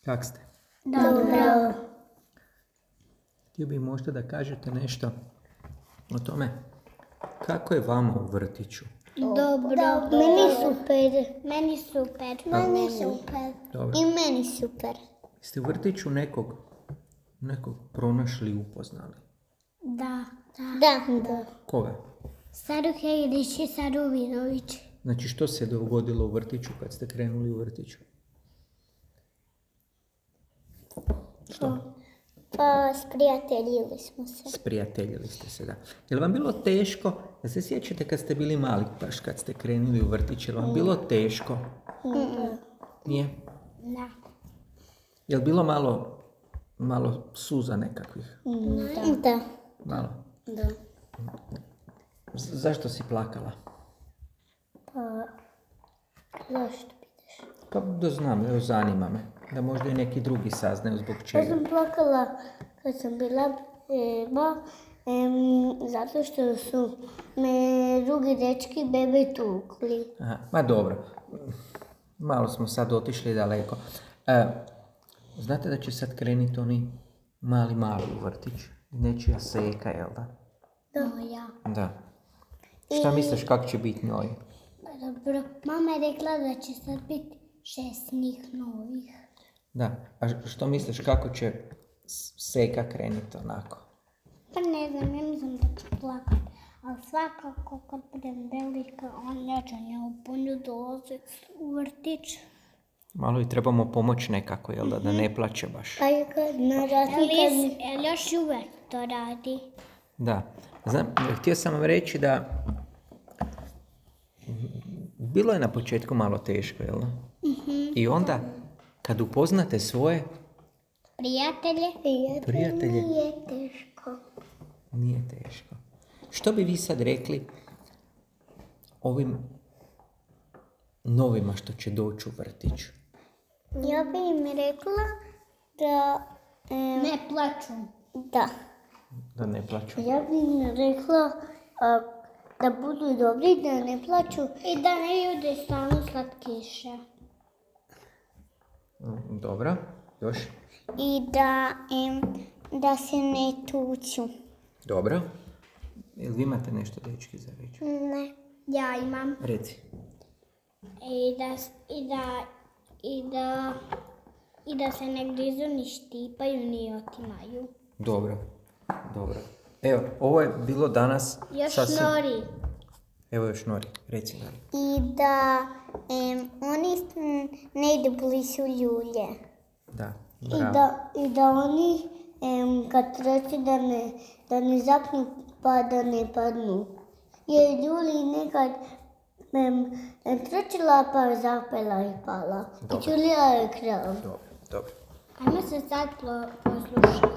Kak ste? Dobro. Htio bih možda da kažete nešto o tome kako je vama u vrtiću. Dobro. Meni super. Meni super. Meni super. Dobro. I meni super. Ste u vrtiću nekog pronašli i upoznali? Da. Koga? Saru Hegrić i Saru Virović. Znači, što se dogodilo u vrtiću kad ste krenuli u vrtiću? Što? Pa sprijateljili smo se. Sprijateljili ste se, da. Je li vam bilo teško, da se sjećate kad ste bili mali, baš kad ste krenuli u vrtić, je li vam bilo teško? Nije? Da. Je li bilo malo suza nekakvih? Da. Malo? Da. Zašto si plakala? Pa, zašto pitaš? Pa da znam, evo zanima me. Da možda i neki drugi saznaju zbog Ja čega. sam plakala kad sam bila beba, zato što su me drugi dečki bebe tukli. Aha, ma dobro. Malo smo sad otišli daleko. Znate da će sad krenuti oni mali u vrtić? Nečija Seka, jel da? Moja. Da. Šta misliš kako će biti njoj? Dobro, mama je rekla da će sad biti 6 njih novih. Da. A što misliš kako će Seka krenuti onako? Pa ne znam, ja mislim da će plakat. Ali svakako kad budem velika, ja ću njemu puno dolaziti u vrtić. Malo i trebamo pomoći nekako, jel da ne plaće baš. Pa i kad narati kad... još uvek to radi. Da. Znam, htio sam vam reći da bilo je na početku malo teško, jel da? I onda, kad upoznate svoje prijatelje, Nije teško. nije teško. Što bi vi sad rekli ovim novima što će doći u vrtić? Ja bi im rekla da... ne plaču. Da. Da ne plaću. Ja bi im rekla da budu dobri, da ne plaču i da ne jude stalno slatkiše. Dobro, još? I da se ne tuču. Dobro. Jel vi imate nešto dečki za reći? Ne. Ja imam. Reci. I da se ne grizu, ni štipaju, ni otimaju. Dobro. Evo, ovo je bilo danas Još nori. Evo još Nori, reci Nori. I da oni ne idu blizu ljulje. Da, bravo. I da oni kad treći da ne zapnu pa da ne padnu. Jer Ljuli nekad trčila pa zapela i pala. Dobro. I Ćulija je krav. Dobro. Ajmo se sad poslušati.